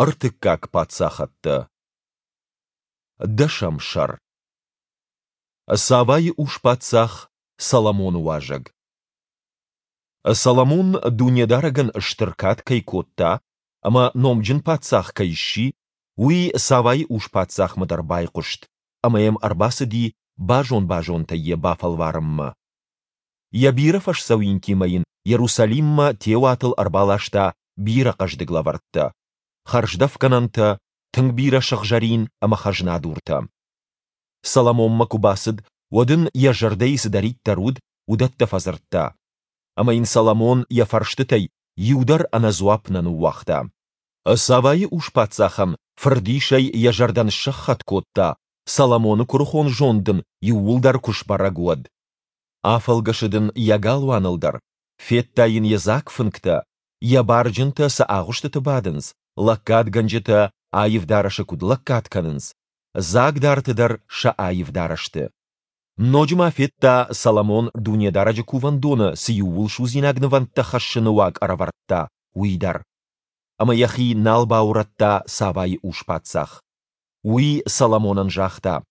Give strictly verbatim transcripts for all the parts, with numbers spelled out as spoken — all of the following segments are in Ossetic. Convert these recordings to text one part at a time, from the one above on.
Ӕртыккаг паддзахӕдтӕ. Дӕсӕм сӕр. Савайы ус-паддзах Соломоны уазӕг. Соломон Дунедарӕгӕн стыр кад кӕй кодта ӕмӕ номджын паддзах кӕй сси, уый Савайы ус-паддзахмӕ дӕр байхъуыст, ӕмӕ йӕм ӕрбацыди базон-базонтӕй йӕ бафӕлварынмӕ. Йӕ бирӕ фӕсдзӕуинтимӕ йын Йерусалиммӕ теуатыл ӕрбаласта бирӕ хъӕздыг лӕвӕрттӕ: хӕрздӕфгӕнӕнтӕ, тынг бирӕ сыгъзӕрин ӕмӕ хӕзнадуртӕ. Соломонмӕ куы бацыд, уӕд ын, йӕ зӕрдӕйы цыдӕриддӕр уыд, уыдӕттӕ фӕдзырдта. Ӕмӕ йын Соломон йӕ фӕрстытӕй иу дӕр ӕнӕ дзуапп нӕ ныууагъта. Савайы ус-паддзахӕн фырдисӕй йӕ зӕрдӕ ныссӕххӕтт кодта, Соломоны куырыхон зонд ын иууылдӕр куы сбӕрӕг, уӕд. Афӕлгӕсыд ын йӕ галуаныл дӕр, федта йын йӕ дзаг фынгтӕ, йӕ барджынтӕ цы агъуыстыты бадынц, лӕггадгӕнджытӕ аив дарӕсы куыд лӕггад кӕнынц, дзагдарты дӕр сӕ аив дарӕсты. Ноджы ма федта, Соломон Дунедарӕджы Кувӕндоны цы иууылсудзинаг нывӕндтӕ хӕссыны уаг ӕрӕвӕрдта, уый дӕр. Ӕмӕ йӕхи нал баурӕдта Савайы ус-паддзах. Уый Соломонӕн загъта: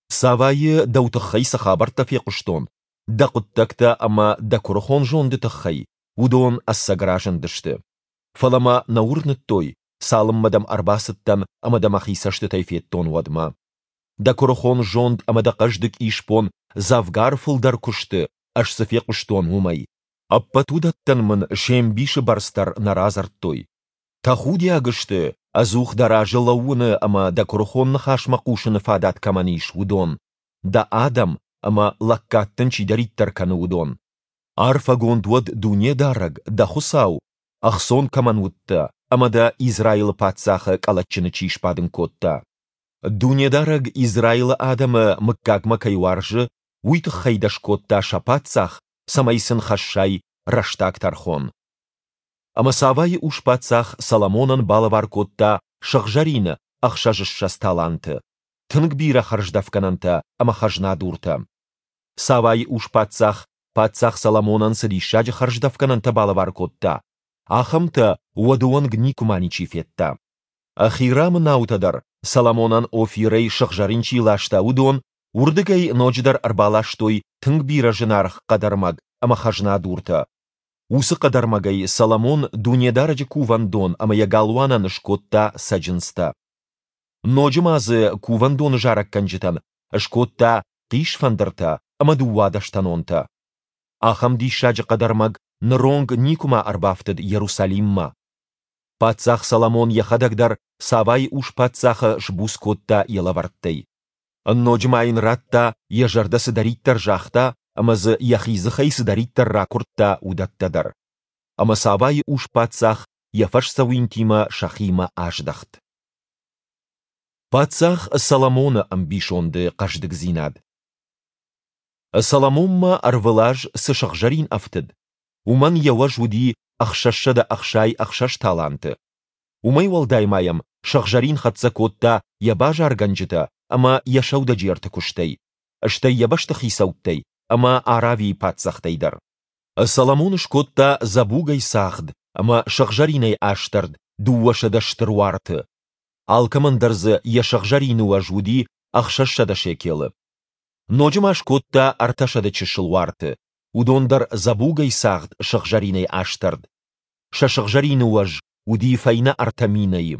«Савайы дӕу тыххӕй цы хабӕрттӕ фехъуыстон, дӕ хъуыддӕгтӕ ӕмӕ дӕ куырыхон зонды тыххӕй, уыдон ӕцӕг разындысты. Фӕлӕ мӕ нӕ уырныдтой, цалынмӕ дӕм ӕрбацыдтӕн ӕмӕ дӕ мӕхи цӕстытӕй федтон, уӕдмӕ. Дӕ куырыхон зонд ӕмӕ дӕ хъӕздыг исбон дзӕвгар фылдӕр куы сты, ӕз цы фехъуыстон, уымӕй. Ӕппӕт уыдӕттӕн мын се мбисы бӕрц дӕр нӕ радзырдтой. Тӕхудиаг сты, ӕдзух дӕ разы лӕууыны ӕмӕ дӕ куырыхон ныхасмӕ хъусыны фадат кӕмӕн ис, уыдон, дӕ адӕм ӕмӕ лӕггад дын чидӕриддӕр кӕны, уыдон. Арфӕгонд уӕд Дунедарӕг, дӕ Хуыцау, ӕхцон кӕмӕн уыдтӕ ӕмӕ дӕ Израилы паддзахы къӕлӕтджыны чи сбадын кодта. Дунедарӕг Израилы адӕмы мыггагмӕ кӕй уарзы, уый тыххӕй дӕ скодта сӕ паддзах, цӕмӕй сын хӕссай рӕстаг тӕрхон». Ӕмӕ Савайы ус-паддзах Соломонӕн балӕвар кодта сыгъзӕрины ӕхсӕзыссӕдз таланты, тынг бирӕ хӕрздӕфгӕнӕнтӕ ӕмӕ хӕзнадуртӕ. Савайы ус-паддзах паддзах Соломонӕн цы диссаджы хӕрздӕфгӕнӕнтӕ балӕвар кодта, ахӕмтӕ уӕды онг никуыма ничи федта. Хирамы наутӕ дӕр, Соломонӕн Офирӕй сыгъзӕрин чи ласта, уыдон, уырдыгӕй ноджыдӕр ӕрбаластой тынг бирӕ зынаргъ хъӕдӕрмӕг ӕмӕ хӕзнадуртӕ. Уыцы хъӕдӕрмӕгӕй Соломон Дунедарӕджы кувӕндон ӕмӕ йӕ галуанӕн скодта цӕджындзтӕ. Ноджы ма дзы кувӕндоны зарӕггӕнджытӕн скодта хъисфӕндыртӕ ӕмӕ дыууадӕстӕнонтӕ. Ахӕм диссаджы хъӕдӕрмӕг ныронг никуыма ӕрбафтыд Иерусалиммӕ. Паддзах Соломон йӕхӕдӕг дӕр Савайы ус-паддзахы сбуц кодта йӕ лӕвӕрттӕй. Ноджы ма йын радта, йӕ зӕрдӕ цыдӕриддӕр загъта ӕмӕ дзы йӕхи дзыхӕй цыдӕриддӕр ракуырдта, уыдӕттӕ дӕр. Ӕмӕ Савайы ус-паддзах йӕ фӕсдзӕуинтимӕ сӕхимӕ аздӕхт. Паддзах Соломоны ӕмбисонды хъӕздыгдзинад. Соломонмӕ ӕрвылаз цы сыгъзӕрин ӕфтыд, уымӕн йӕ уӕз уыди ӕхсӕзсӕдӕ ӕхсай ӕхсӕз таланты. Уымӕй уӕлдай ма йӕм сыгъзӕрин хӕццӕ кодта йӕ базаргӕнджытӕ ӕмӕ йӕ сӕудӕджерты куыстӕй, стӕй йӕ бӕстыхицӕуттӕй ӕмӕ Аравийы паддзӕхтӕй дӕр. Соломон скодта дзӕбугӕй цагъд ӕмӕ сыгъзӕринӕй астӕрд дыууӕсӕдӕ стыр уарты. Алкӕмӕн дӕр дзы йӕ сыгъзӕрины уӕз уыди ӕхсӕзсӕдӕ шекелы. Ноджы ма скодта ӕртӕсӕдӕ чысыл уарты, уыдон дӕр дзӕбугӕй цагъд сыгъзӕринӕй астӕрд. Сӕ сыгъзӕрины уӕз уыди фӕйнӕ ӕртӕ минӕйы.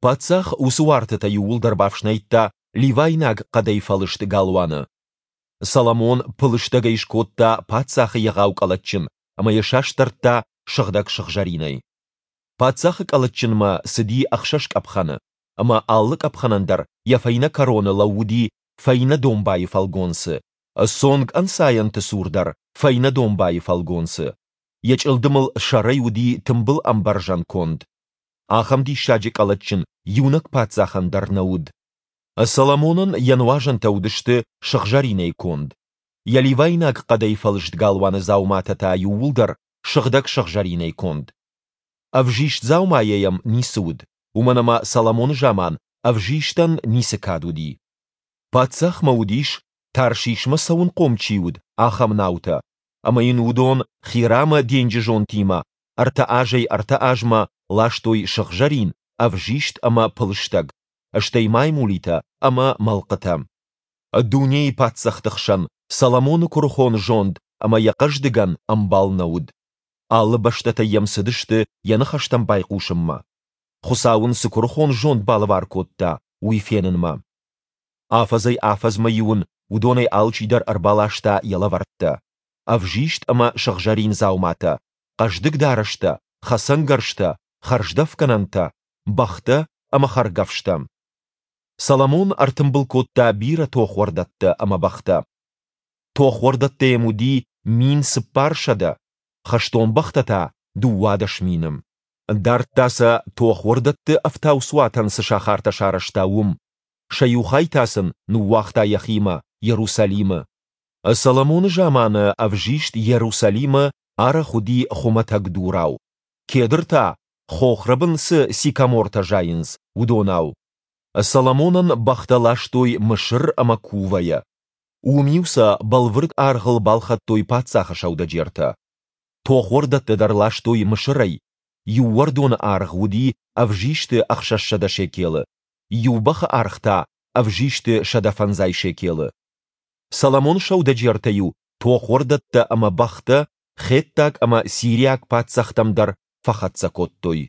Паддзах уыцы уартытӕ иууылдӕр бафснайдта ливайнаг хъӕдӕй фӕлыст галуаны. Соломон пылыстӕгӕй скодта паддзахы егъау къӕлӕтджын ӕмӕ йӕ састӕрдта сыгъдӕг сыгъзӕринӕй. Паддзахы къӕлӕтджынмӕ цыди ӕхсӕз къӕпхӕны, ӕмӕ алы къӕпхӕнӕн дӕр йӕ фӕйнӕ кӕроны лӕууыди фӕйнӕ домбайы фӕлгонцы, цонг ӕнцайӕнты цур дӕр фӕйнӕ домбайы фӕлгонцы. Йӕ чъылдымыл сӕрӕй уыди тымбыл ӕмбӕрзӕн конд. Ахӕм диссаджы къӕлӕтджын иунӕг паддзахӕн дӕр нӕ уыд. Соломонӕн йӕ нуазӕнтӕ уыдысты сыгъзӕринӕй конд, йӕ ливайнаг хъӕдӕй фӕлыст галуаны дзауматӕ та иууылдӕр сыгъдӕг сыгъзӕринӕй конд. Ӕвзист дзаумайӕ йӕм ницы уыд, уымӕн ӕмӕ Соломоны заман ӕвзистӕн ницы кад уыди. Паддзахмӕ уыдис, Таршишмӕ цӕуынхъом чи уыд, ахӕм наутӕ, ӕмӕ йын уыдон Хирамы денджызонтимӕ ӕртӕ азӕй ӕртӕ азмӕ ластой сыгъзӕрин ӕвзист ӕмӕ пылыстӕг, стӕй маймулитӕ ӕмӕ мӕлхъытӕ. Дунейы паддзӕхты хсӕн Соломоны куырыхон зонд ӕмӕ йӕ хъӕздыгӕн ӕмбал нӕ уыд. Алы бӕстӕтӕй йӕм цыдысты йӕ ныхӕстӕм байхъусынмӕ, Хуыцау ын цы куырыхон зонд балӕвар кодта, уый фенынмӕ. Афӕдзӕй-афӕдзмӕ-иу ын уыдонӕй алчидӕр ӕрбаласта йӕ лӕвӕрттӕ: ӕвзист ӕмӕ сыгъзӕрин дзауматӕ, хъӕздыг дарӕстӕ, хӕцӕнгӕрзтӕ, хӕрздӕфгӕнӕнтӕ, бӕхтӕ ӕмӕ хӕргӕфстӕ. Соломон ӕртымбыл кодта бирӕ тохуӕрдӕттӕ ӕмӕ бӕхтӕ. Тохуӕрдӕттӕ йӕм уыди мин цыппарсӕдӕ, хӕстон бӕхтӕ та дыууадӕс мины. Дардта сӕ, тохуӕрдӕтты ӕфтауцуатӕн цы сахартӕ сарӕзта, уым, сӕ иу хай та сын ныууагъта йӕхимӕ, Иерусалимы. Соломоны заманы ӕвзист Иерусалимы арӕх уыди хуымӕтӕг дурау, кедр та, хохрӕбын цы сикомортӕ зайынц, уыдонау. Соломонӕн бӕхтӕ ластой Мысыр ӕмӕ Кувӕйӕ. Уым-иу сӕ бӕлвырд аргъыл балхӕдтой паддзахы сӕудӕджертӕ. Тохуӕрдӕттӕ дӕр ластой Мысырӕй, иу уӕрдоны аргъ уыди ӕвзисты ӕхсӕзсӕдӕ шекелы, иу бӕхы аргъ та ӕвзисты сӕдӕ фӕндзай шекелы. Соломоны сӕудӕджертӕ-иу тохуӕрдӕттӕ ӕмӕ бӕхтӕ хеттаг ӕмӕ сириаг паддзӕхтӕм дӕр фӕхӕццӕ кодтой.